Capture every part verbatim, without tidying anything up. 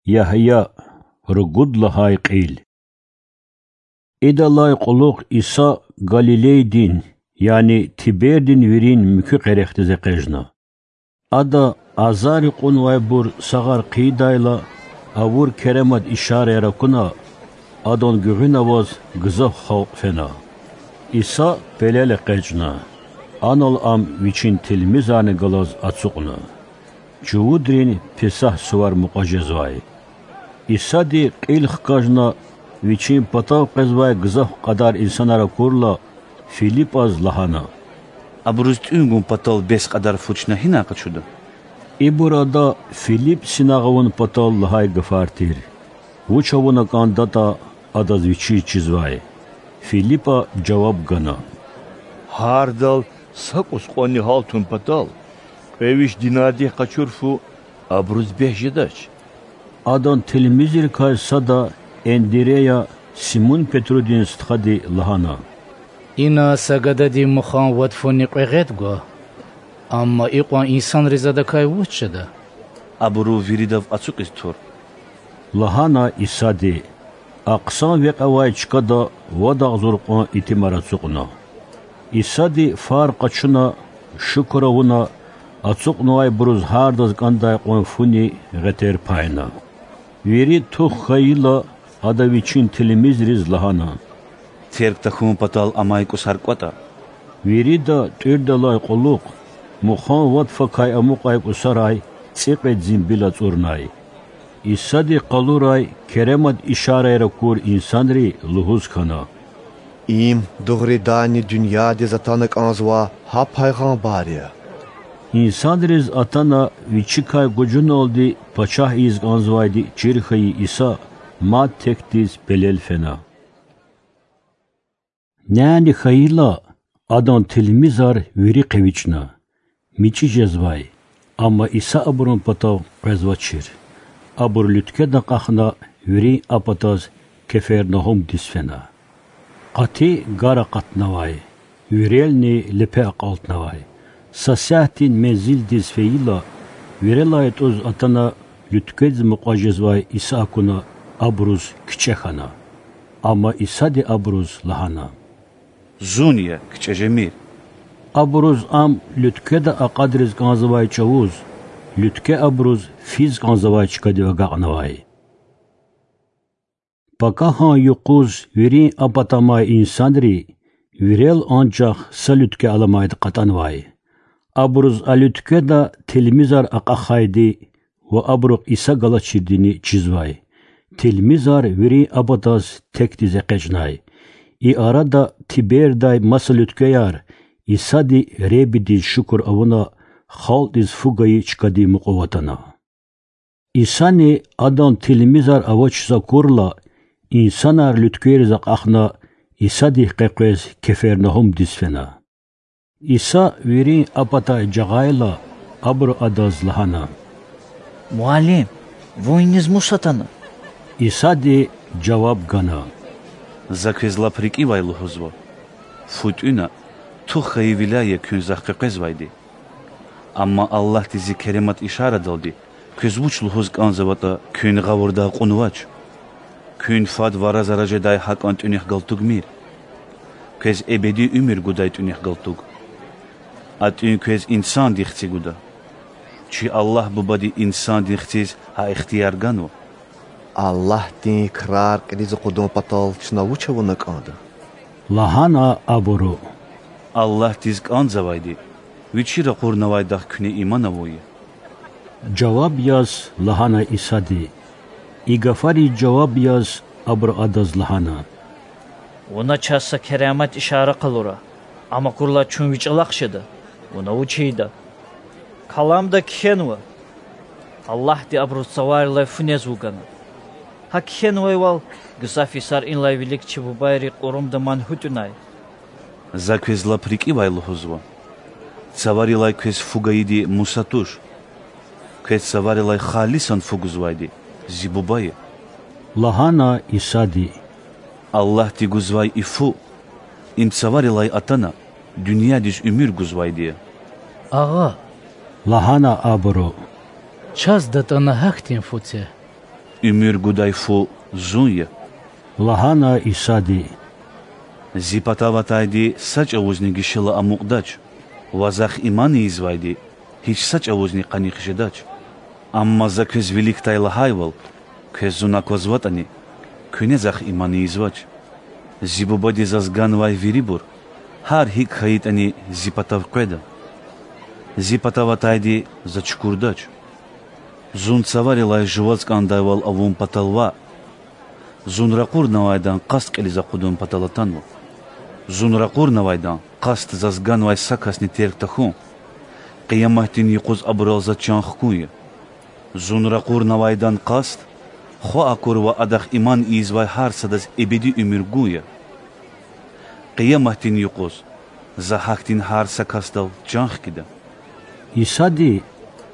Ягья, ругуд лагьай кьил. Идалай кьулухъ Иса Галилейдин, яни Тибердин вирин муькуь къерехдиз экъечӀна. Ада азаррикъунвайбур сагъар хъийидайла, авур керемат ишараяр акуна, Адан гуьгъуьна аваз гзаф халкь фена. Иса пелел экъечӀна, анал Ам Вичин тилмизарни галаз ацукьна. Чувудрин Песагь сувар мукьва жезвай. Исади кьил хкажна, Вичин патав къвезвай гзаф кьадар инсанар акурла, Филипаз лагьана: Абуруз тӀуьн гун патал бес кьадар фу чна гьинай къачуда? Ибур Ада Филип синагъ авун патал лагьай гафар тир. Вуч авуна кӀандатӀа, адаз Вичиз чизвай. Филипа жаваб гана: Гьардал са кӀус кьванни гьалтун патал кьве виш динардихъ къачур фу абуруз бес жедач. Адан тилмизрикай сада, Эндирея, Симун-Петрудин стхади, лагьана: Ина са гадади мухан вад фуни кьве гъед гва, амма икьван инсанриз адакай вуч жеда? Абуру виридав ацукьиз тур,– лагьана Исади. А хъсан векь авай чкада вад агъзур кьван итимар ацукьна. Исади фар къачуна, шукур авуна, ацукьнавайбуруз гьардаз кӀандай кьван фуни гъетер пайна. Вири тух хьайила, Ада Вичин тилмизриз лагьана: Терг тахьун патал амай кӀусар кӀватӀа. Вирида тӀуьрдалай кьулухъ мухан вад факай амукьай кӀусарай цӀикьвед зимбил ацӀурнай. Исади къалурай керемат ишараяр акур инсанри лугьуз хьана: Им дугъриданни дуьньядиз атана кӀанзавай гьа пайгъамбар я. Инсанриз атана Вичикай гужуналди пачагь ийиз кӀанзавайди чир хьайи Иса мад текдиз пелел фена. Няни хьайила, Адан тилмизар вири хъивичӀна, мичӀи жезвай, амма Иса абурун патав къвезвачир. Абур луьткведа акьахна, вирин а патаз Кефернагьумдиз фена. Къати гар акъатнавай, вирелни лепе акьалтнавай. Са сятдин мензилдиз фейила, вирелай тӀуз атана луьткведиз мукьва жезвай Иса акуна, абуруз кичӀе хьана. Амма Исади абуруз лагьана: Зун я, кичӀе жемир. Абуруз Ам луьткведа акьадриз кӀанзавай чӀавуз, луьткве абуруз физ кӀанзавай чкадив агакьнавай. Пакагьан юкъуз вирин а пата амай инсанри вирел анжах са луьткве аламайди кьатӀанвай. Абуруз а луьткведа тилмизар акьахайди ва абурухъ Иса галачирдини чизвай. Тилмизар вирин а патаз текдиз экъечӀнай. И арада Тибердай маса луьтквеяр Исади Худадиз шукур авуна, халкьдиз фу гайи чкадив мукьув атана. Исани Адан тилмизар авачиз акурла, инсанар луьтквейриз акьахна, Исадихъ къекъвез Кефернагьумдиз фена. Иса вирин а патай жагъайла, абуру Адаз лагьана: Муаллим, Вун иниз мус атана? Исади жаваб гана: За квез лап рикӀивай лугьузва: фу тӀуьна, тух хьайивиляй я куьн Захъ къекъвезвайди. Амма Аллагьди Зи керемат ишарадалди квез вуч лугьуз кӀанзаватӀа, куьн гъавурда акьунвач. Куьн фад вара-зара жедай гьакӀан тӀуьнихъ галтугмир. Квез эбеди уьмуьр гудай тӀуьнихъ галтуг. А тӀуьн квез Инсандин Хци гуда. Чи Аллагь Бубади Инсандин Хциз гьа ихтияр ганва. Аллагьдин крар кьилиз акъудун патал чна вуч авуна кӀанда? лагьана абуру. Аллагьдиз кӀанзавайди Вичи ракъурнавайдахъ куьне иман авун я,– жаваб яз лагьана Исади. И гафариз жаваб яз, абуру Адаз лагьана: Вуна чаз са керемат ишара къалура, ам акурла чун Ви чӀалахъ жеда, Вуна вуч ийида. Каламда кхьенва: Аллагьди абуруз цаварилай фу нез вугана. Гьа кхьенвайвал, гзаф йисар инлай вилик чи бубайри кьурумда ман гьуьтӀуьнай. За квез лап рикӀивай лугьузва: цаварилай квез фу гайиди Муса туш. Квез цаварилай халисан фу гузвайди Зи Буба я,– лагьана Исади. Аллагьди гузвай и фу, им цаварилай атана, дуьньядиз уьмуьр гузвайди я. Агъа,– лагьана абуру,– чаз датӀана гьахьтин фу це. Уьмуьр гудай фу Зун я,– лагьана Исади. Зи патав атайди са чІавузни гишила амукьдач ва Захъ иман ийизвайди гьич са чІавузни къаних жедач. Амма За квез виликдай лагьайвал, квез Зун аквазватІани, куьне Захъ иман ийизвач. Зи Бубади Заз ганвай вирибур, гьар гьикІ хьайитІани, Зи патав къведа. Зи патав атайди За чукурдач. Зун Цаварилай жуваз кІандайвал авун патал ваъ, Зун ракъурнавайдан къаст кьилиз акъудун патал атанва. Зун ракъурнавайдан къаст Заз ганвай са касни терг тахьун, Къияматдин юкъуз абурал За чан хкун я. Зун ракъурнавайдан къаст Хва акур ва Адахъ иман ийизвай гьар садаз эбеди уьмуьр гун я. Къияматдин юкъуз За гьахьтин гьар са касдал чан хкида. Исади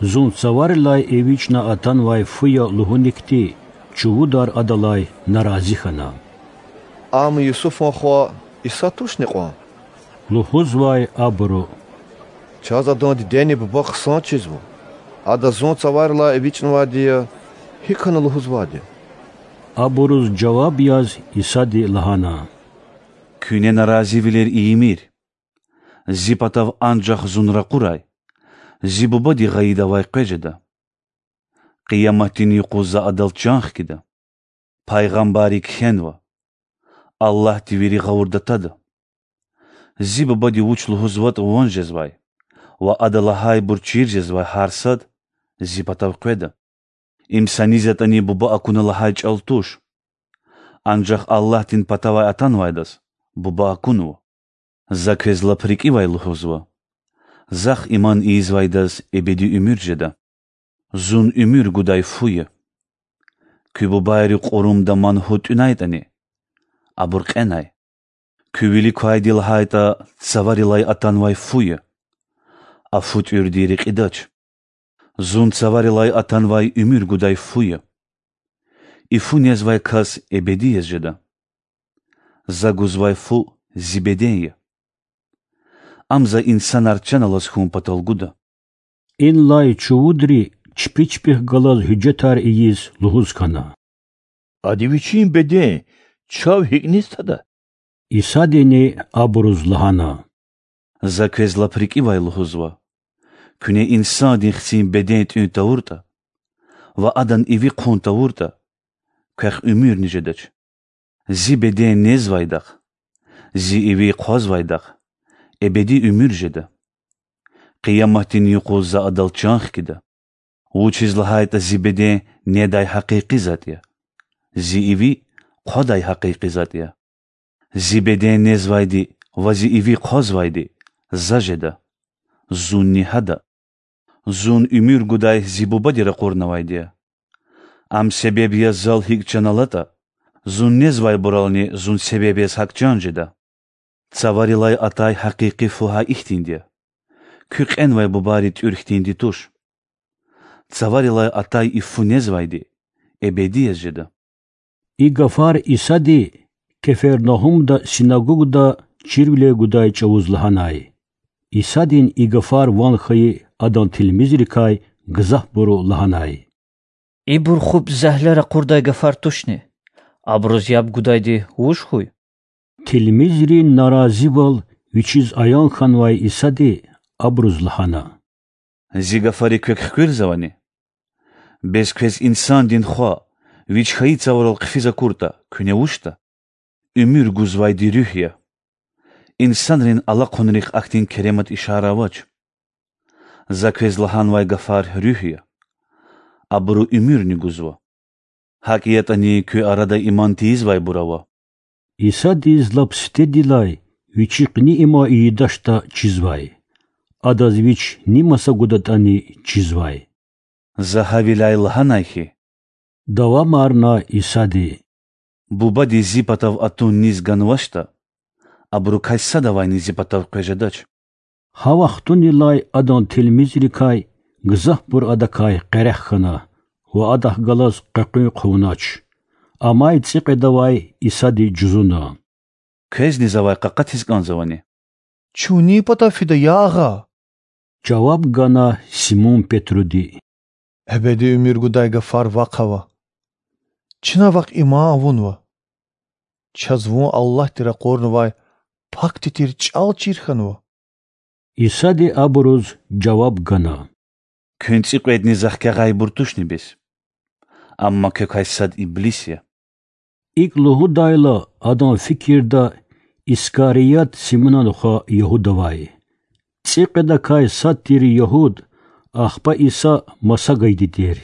Зун Цаварилай эвичІна атанвай фу я лугьуникди чувудар Адалай нарази хьана. Ам Юсуфан хва Иса тушни кьван? лугьузвай абуру. Чаз Адан дидени буба хъсан чизва. Ада Зун Цаварилай эвичІнавайди я, гьикІ хьана лугьузвайди я? Абуруз жаваб яз Исади лагьана: Куьне наразивилер ийимир. Зи патав анжах Зун ракъурай, Зи Бубади гъайида авай къвез жеда. Къияматдин юкъуз За Адал чан хкида. Пайгъамбарри кхьенва: Аллагьди вири гъавурда тада. Зи Бубади вуч лугьузватІа ван жезвай ва Ада лагьайбур чир жезвай гьар сад Зи патав къведа. Им са низ ятІани Буба акуна лагьай чІал туш. Анжах Аллагьдин патавай атанвайдаз Буба акунва. За квез лап рикІивай лугьузва: Захъ иман ийизвайдаз эбеди уьмуьр жеда. Зун уьмуьр гудай фу я. Куь бубайри кьурумда ман гьут тІуьнайтІани, абур кьенай. Куь вилик квайди лагьайтІа, Цаварилай атанвай фу я, а фу тІуьрди рекьидач. Зун Цаварилай атанвай уьмуьр гудай фу я. И фу незвай кас эбеди яз жеда. За гузвай фу Зи беден я. Ам За инсанар чан алаз хьун патал гуда. Инлай чувудри чпи чпихъ галаз гьуьжетар ийиз лугьуз хьана: Ада Вичин беден чав гьикІ низ тада? Исадини абуруз лагьана: За квез лап рикІивай лугьузва: куьне Инсандин Хцин беден тІуьн тавуртІа ва Адан иви хъун тавуртІа, квехъ уьмуьрни жедач. Зи беден незвайдахъ, Зи иви хъвазвайдахъ эбеди уьмуьр жеда. Къияматдин юкъуз За Адал чан хкида. Вучиз лагьайтІа Зи беден недай гьакъикъи затІ я, Зи иви хъвадай гьакъикъи затІ я. Зи беден незвайди ва Зи иви хъвазвайди За жеда, Зунни гьада. Зун уьмуьр гудай Зи Бубади ракъурнавайди я. Ам себеб яз Зал гьикІ чан алатІа, Зун незвайбурални Зун себеб яз гьакІ чан жеда. Цаварилай атай гьакъикъи фу гьа ихьтинди я: куь кьенвай бубайри тІуьр хьтинди туш. Цаварилай атай и фу незвайди эбеди яз жеда. И гафар Исади Кефернагьумда синагогда чирвилер гудай чІавуз лагьанай. Исадин и гафар ван хьайи Адан тилмизрикай гзафбуру лагьанай: Ибур хупІ зегьле ракъурдай гафар тушни? Абуруз яб гудайди вуж хьуй? Тилмизрин наразивал Вичиз аян хьанвай Исади абуруз лагьана: Зи гафари квек хквирзавани? Бес квез Инсандин Хва Вич хьайи цаварал хъфиз акуртІа, куьне вучда? Уьмуьр гузвайди Руьгь я. Инсанрин алахъунрихъ ахьтин керемат ишара авач. За квез лагьанвай гафар Руьгь я. Абуру уьмуьрни гузва. ГьакІ ятІани куь арада иман тийизвайбур ава. Исадиз лап сифтедилай Вичи къени иман ийидачтІа чизвай. Адаз Вич ни маса гудатІани чизвай. За гьавиляй лагьанай хьи,– давамарна Исади,– Бубади Зи патав атун низ ганвачтІа, абурукай садавайни Зи патав къвез жедач. Гьа вахтунилай Адан тилмизрикай гзафбур Адакай къерех хьана ва Адахъ галаз къекъуьн хъувунач. Амай цІикьведавай Исади жузуна: Квезни завай къакъатиз кІанзавани? Чун нин патав фида, я Агъа? жаваб гана Симун Петруди: Эбеди уьмуьр гудай гафар вахъ ава. чна Вахъ иман авунва. Чаз Вун Аллагьди ракъурнавай пакди тир чӀал чир хьанва. Исади абуруз жаваб гана: Куьн цӀикьведни Захъ агъайбур тушни бес? Амма квекай сад иблис я. ИкӀ лугьудайла, адан фикирда Искарият Симунан хва Ягьуда авай, цӀикьведакай сад тир ягьуд, ахпа Иса маса гайиди тир.